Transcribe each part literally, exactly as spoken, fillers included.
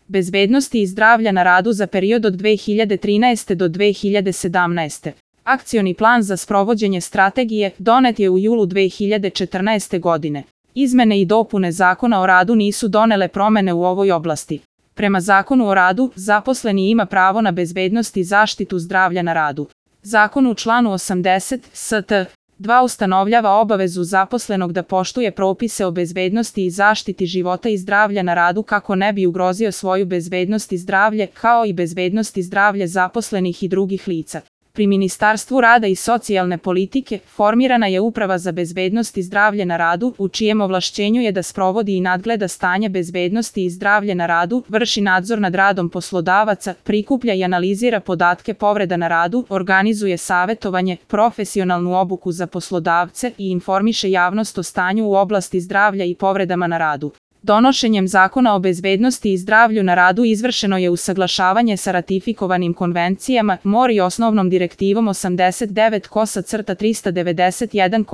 bezbednosti i zdravlja na radu za period od dve hiljade trinaeste do dve hiljade sedamnaeste. Akcioni plan za sprovođenje strategije donet je u julu dve hiljade četrnaeste. godine. Izmene i dopune Zakona o radu nisu donele promene u ovoj oblasti. Prema Zakonu o radu, zaposleni ima pravo na bezbednost i zaštitu zdravlja na radu. Zakon u članu osamdeset st. dva ustanovljava obavezu zaposlenog da poštuje propise o bezbednosti i zaštiti života i zdravlja na radu kako ne bi ugrozio svoju bezbednost i zdravlje, kao i bezbednost i zdravlje zaposlenih i drugih lica. Pri Ministarstvu rada i socijalne politike formirana je Uprava za bezbednost i zdravlje na radu, u čijem ovlašćenju je da sprovodi i nadgleda stanje bezbednosti i zdravlje na radu, vrši nadzor nad radom poslodavaca, prikuplja i analizira podatke povreda na radu, organizuje savetovanje, profesionalnu obuku za poslodavce i informiše javnost o stanju u oblasti zdravlja i povredama na radu. Donošenjem Zakona o bezbednosti i zdravlju na radu izvršeno je usaglašavanje sa ratifikovanim konvencijama, M O R i osnovnom direktivom osamdeset devet trista devedeset jedan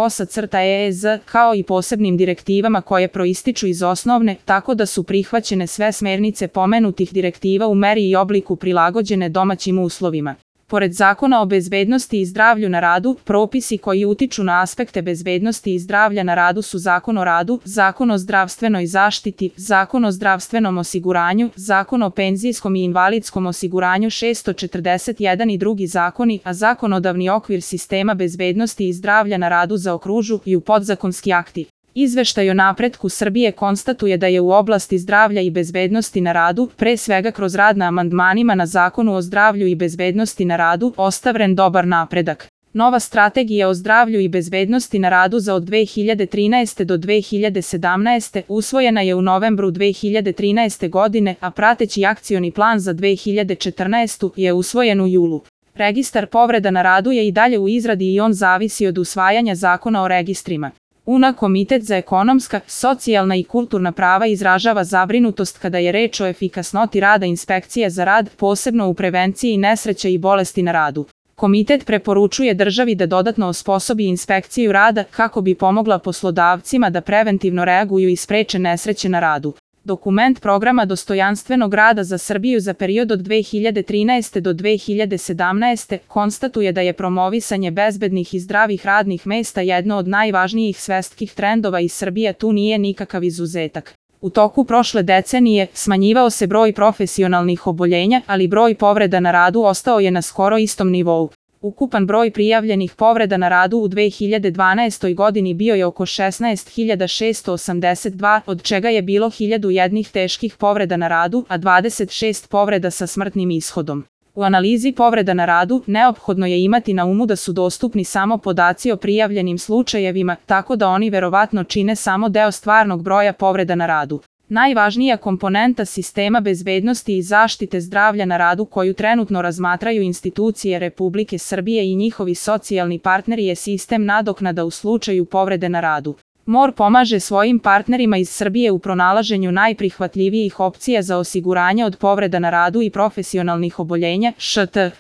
E E Z, kao i posebnim direktivama koje proističu iz osnovne, tako da su prihvaćene sve smernice pomenutih direktiva u meri i obliku prilagođene domaćim uslovima. Pored Zakona o bezbednosti i zdravlju na radu, propisi koji utiču na aspekte bezbednosti i zdravlja na radu su Zakon o radu, Zakon o zdravstvenoj zaštiti, Zakon o zdravstvenom osiguranju, Zakon o penzijskom i invalidskom osiguranju šesto četrdeset jedan i drugi zakoni, a zakonodavni okvir sistema bezbednosti i zdravlja na radu zaokružuju podzakonski akti. Izveštaj o napretku Srbije konstatuje da je u oblasti zdravlja i bezbednosti na radu, pre svega kroz rad na amandmanima na Zakonu o zdravlju i bezbednosti na radu, ostvaren dobar napredak. Nova strategija o zdravlju i bezbednosti na radu za od dve hiljade trinaeste do dve hiljade sedamnaeste. usvojena je u novembru dve hiljade trinaeste. godine, a prateći akcioni plan za dve hiljade četrnaestu. je usvojen u julu. Registar povreda na radu je i dalje u izradi i on zavisi od usvajanja Zakona o registrima. U N A Komitet za ekonomska, socijalna i kulturna prava izražava zabrinutost kada je reč o efikasnosti rada inspekcije za rad, posebno u prevenciji nesreća i bolesti na radu. Komitet preporučuje državi da dodatno osposobi inspekciju rada kako bi pomogla poslodavcima da preventivno reaguju i spreče nesreće na radu. Dokument programa dostojanstvenog rada za Srbiju za period od dve hiljade trinaeste. do dve hiljade sedamnaeste. konstatuje da je promovisanje bezbednih i zdravih radnih mesta jedno od najvažnijih svetskih trendova i Srbija tu nije nikakav izuzetak. U toku prošle decenije smanjivao se broj profesionalnih oboljenja, ali broj povreda na radu ostao je na skoro istom nivou. Ukupan broj prijavljenih povreda na radu u dve hiljade dvanaestoj. godini bio je oko šesnaest hiljada šesto osamdeset dva, od čega je bilo hiljadu jedan teških povreda na radu, a dvadeset šest povreda sa smrtnim ishodom. U analizi povreda na radu neophodno je imati na umu da su dostupni samo podaci o prijavljenim slučajevima, tako da oni verovatno čine samo deo stvarnog broja povreda na radu. Najvažnija komponenta sistema bezbednosti i zaštite zdravlja na radu koju trenutno razmatraju institucije Republike Srbije i njihovi socijalni partneri je sistem nadoknada u slučaju povrede na radu. M O R pomaže svojim partnerima iz Srbije u pronalaženju najprihvatljivijih opcija za osiguranje od povreda na radu i profesionalnih oboljenja, š t